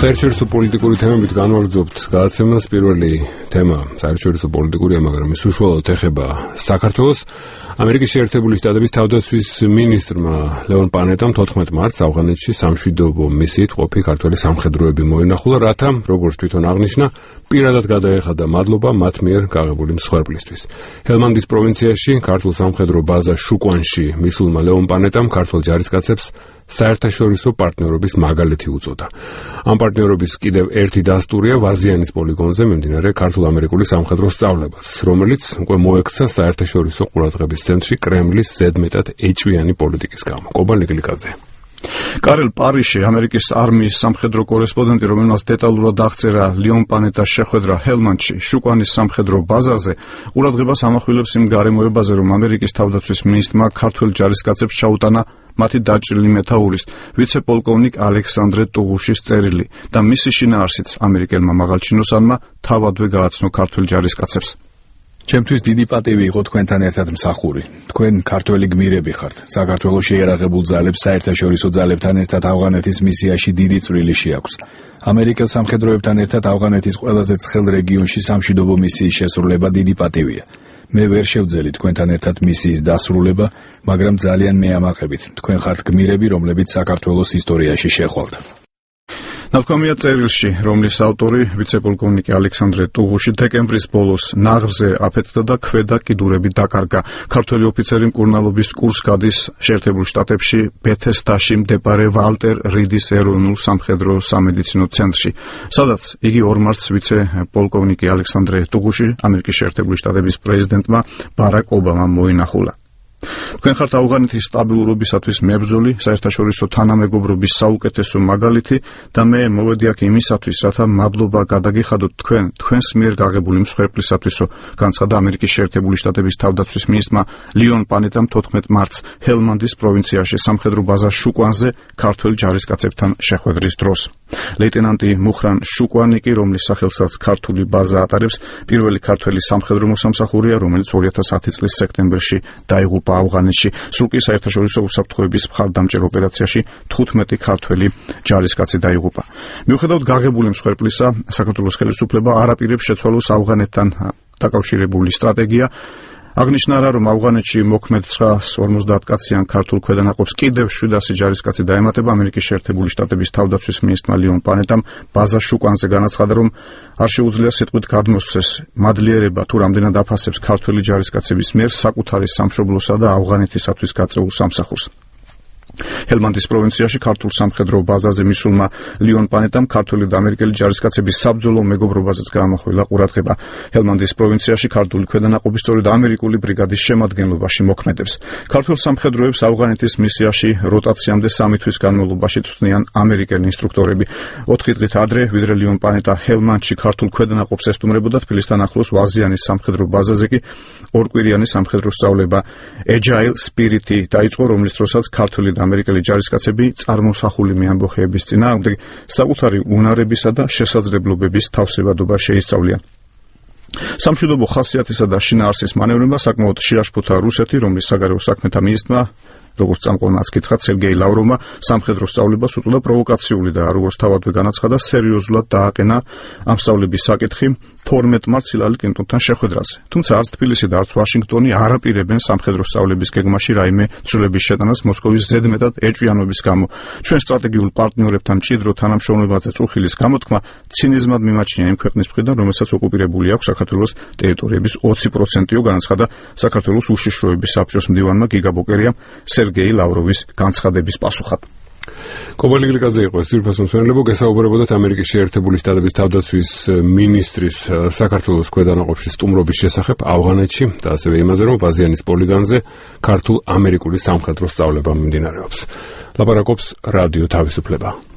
საერთაშორისო პოლიტიკური თემებით განვაგრძობთ გადაცემას. პირველი თემა საერთაშორისო პოლიტიკურია, მაგრამ ის უშუალოდ ეხება საქართველოს. ამერიკის შეერთებული შტატების თავდაცვის მინისტრმა ლეონ პანეტამ 14 მარტს ავღანეთში სამშვიდობო მისიით ყოფი ქართველი სამხედროები მოინახულა, რათა, როგორც თვითონ აღნიშნა, პირადად გადაეხადა მადლობა მათ მიერ გაღებული მსხვერპლისთვის. ჰელმანდის პროვინციაში ქართულ სამხედრო ბაზა შუკვანში მისულმა ლეონ პანეტამ ქართულ ჯარისკაცებს საერთაშორისო პარტნიორობის მაგალითი უწოდა. ამ პარტნიორობის კიდევ ერთი დასტურია ვაზიანის პოლიგონზე მიმდინარე ქართულ-ამერიკული სამხედრო სწავლებაც, რომელიც უკვე მოექცა საერთაშორისო ყურადღების ცენტრში კრემლის ზედმეტად ეჭვიანი პოლიტიკის გამო. კობა ლიგლიკაძე. კარელ პარიში, ამერიკის არმიის სამხედრო კორესპონდენტი, რომელმაც დეტალურად აღწერა ლეონ პანეტას შეხვედრა ჰელმანდში, შუკვანის სამხედრო ბაზაზე, ყურადღებას ამახვილებს იმ გარემოებაზე, რომ ამერიკის თავდაცვის მინისტრმა ქართველ ჯარისკაცებს ჩაუტანა მათი დაჭრილი მეთაურის, ვიცე-პოლკოვნიკ ალექსანდრე ტუღუშის წერილი და მისი შინაარსიც ამერიკელმა მაღალჩინოსანმა თავადვე გააცნო ქართველ ჯარისკაცებს. ჩემთვის დიდი პატივი იყო თქვენთან ერთად მსახური. თქვენ ქართველი გმირები ხართ. საქართველოს შეიარაღებულ ძალებს საერთაშორისო ძალებთან ერთად ავღანეთის მისიაში დიდი წვლილი შეაქვს. ამერიკელ სამხედროებთან ერთად ავღანეთის ყველაზე ცხელ რეგიონში სამშვიდობო მისიის შესრულება დიდი პატივია. მე ვერ შევძელი თქვენთან ერთად მისიის დასრულება, მაგრამ ძალიან მეამაყებით. თქვენ ხართ გმირები, რომლებიც საქართველოს ისტორიაში შეხვალთ. ნათქვამია წერილში, რომლის ავტორი ვიცე-პოლკოვნიკი ალექსანდრე ტუღუში დეკემბრის ბოლოს ნაღრზე აფეთქდა და ქვედა კიდურები დაკარგა. ქართველი ოფიცერი მკურნალობის კურსს გადის შეერთებულ შტატებში ბეთესდაში მდებარე ვალტერ რიდის ეროვნულ სამხედრო სამედიცინო ცენტრში, სადაც იგი 2 მარტს ვიცე-პოლკოვნიკი ალექსანდრე ტუღუში ამერიკის შეერთებული შტატების პრეზიდენტმა ბარაკ ობამამ მოინახულა. თქვენ ხართ ავღანეთის სტაბილურობისათვის მებრძოლი, საერთაშორისო თანამეგობრობის საუკეთესო მაგალითი და მე მოვედი აქ იმისათვის, რათა მადლობა გადაგიხადოთ თქვენს მიერ გაღებული მსხვერპლისათვისო, განცხადა ამერიკის შეერთებული შტატების თავდაცვის მინისტრმა ლეონ პანეტამ 14 მარტს ჰელმანდის პროვინციაში სამხედრო ბაზა შუკვანზე ქართველ ჯარისკაცებთან შეხვედრის დროს. ლეიტენანტი მუხრან შუკვანიკი, რომლის სახელსაც ქართული ბაზა ატარებს, პირველი ქართველი სამხედრო მოსამსახურეა, რომელიც 2010 წლის სექტემბერში დაიღუპა ავღანეთში. სულ კი საერთაშორისო უსაფრთხოების მხარდამჭერ ოპერაციაში 15 ქართველი ჯარისკაცი დაიღუპა. მიუხედავად გაღებული მსხვერპლისა, საქართველოს ხელისუფლება არ აპირებს შეცვალოს ავღანეთთან დაკავშირებული სტრატეგია. აღნიშნა რა, რომ ავღანეთში მოქმედ 950 კაციან ქართულ ქვედანაყოფს კიდევ 700 ჯარისკაცი დაემატება. ამერიკის შეერთებული შტატების თავდაცვის მინისტრმა ლეონ პანეტამ ბაზა შუკვანზე განაცხადა, რომ არ შეუძლია სიტყვით გადმოსცეს მადლიერება თუ რამდენად აფასებს ქართველი ჯარისკაცების მიერ საკუთარი სამშობლოსა და ავღანეთისათვის გაწეულ სამსახურს. ჰელმანდის პროვინციაში ქართულ სამხედრო ბაზაზე მისულმა ლეონ პანეტამ ქართული და ამერიკელი ჯარისკაცების საბრძოლო მეგობრობაზეც გაამახვილა ყურადღება. ჰელმანდის პროვინციაში ქართული ქვედანაყოფი სწორედ ამერიკული ბრიგადის შემადგენლობაში მოქმედებს. ქართულ სამხედროებს ავღანეთის მისიაში როტაციამდე 3 თვის განმავლობაში წვნიან ამერიკელი ინსტრუქტორები. 4 დღით ადრე, ვიდრე ლეონ პანეტა ჰელმანდში ქართულ ქვედანაყოფს ესტუმრებოდა, თბილისთან ახლოს ვაზიანის სამხედრო ბაზაზე კი ორკვირიანი სამხედრო სწავლება Agile Spirit-ი დაიწყო, რომლის დროსაც ქართული და ამერიკელი ჯარისკაცები წარმოსახული მეამბოხეების წინააღმდეგ საკუთარი უნარებისა და შესაძლებლობების თავსებადობა შეისწავლიან. სამშვიდობო ხასიათისა და შინაარსის მანევრებმა საკმაოდ შეაშფოთა რუსეთი, რომლის საგარეო საქმეთა მინისტრმა, როგორც წამყვანაც კითხა, სერგეი ლავროვმა სამხედრო სწავლებას უწოდა პროვოკაციული და როგორც თავადვე განაცხადა, სერიოზულად დააყენა ამ სწავლების საკითხი 12 მარტს ჰილარი კლინტონთან შეხვედრაზე. თუმცა არც თბილისი და არც ვაშინგტონი არ აპირებენ სამხედრო სწავლების გეგმაში რაიმე ცვლილების შეტანას მოსკოვის ზედმეტად ეჭვიანობის გამო. ჩვენ სტრატეგიულ პარტნიორებთან მჭიდრო თანამშრომლობაზე წუხილის გამოთქმა ცინიზმად მიმაჩნია იმ ქვეყნის მხრიდან, რომელსაც ოკუპირებული აქვს საქართველოს ტერიტორიების 20%-ო, განაცხადა საქართველოს უშიშროების საბჭოს მდივანმა გიგა ბოკერიამ სერგეი ლავროვის განცხადების პასუხად. კობა ლიგლიკაძე იყო ეს ძვირფასო მსმენელებო. გესაუბრებოდათ ამერიკის შეერთებული შტატების თავდაცვის მინისტრის საქართველოს ქვედანაყოფში სტუმრობის შესახებ ავღანეთში და ასევე იმაზე, რომ ვაზიანის პოლიგონზე ქართულ-ამერიკული სამხედრო სწავლება მიმდინარეობს. ლაპარაკობს რადიო თავისუფლება.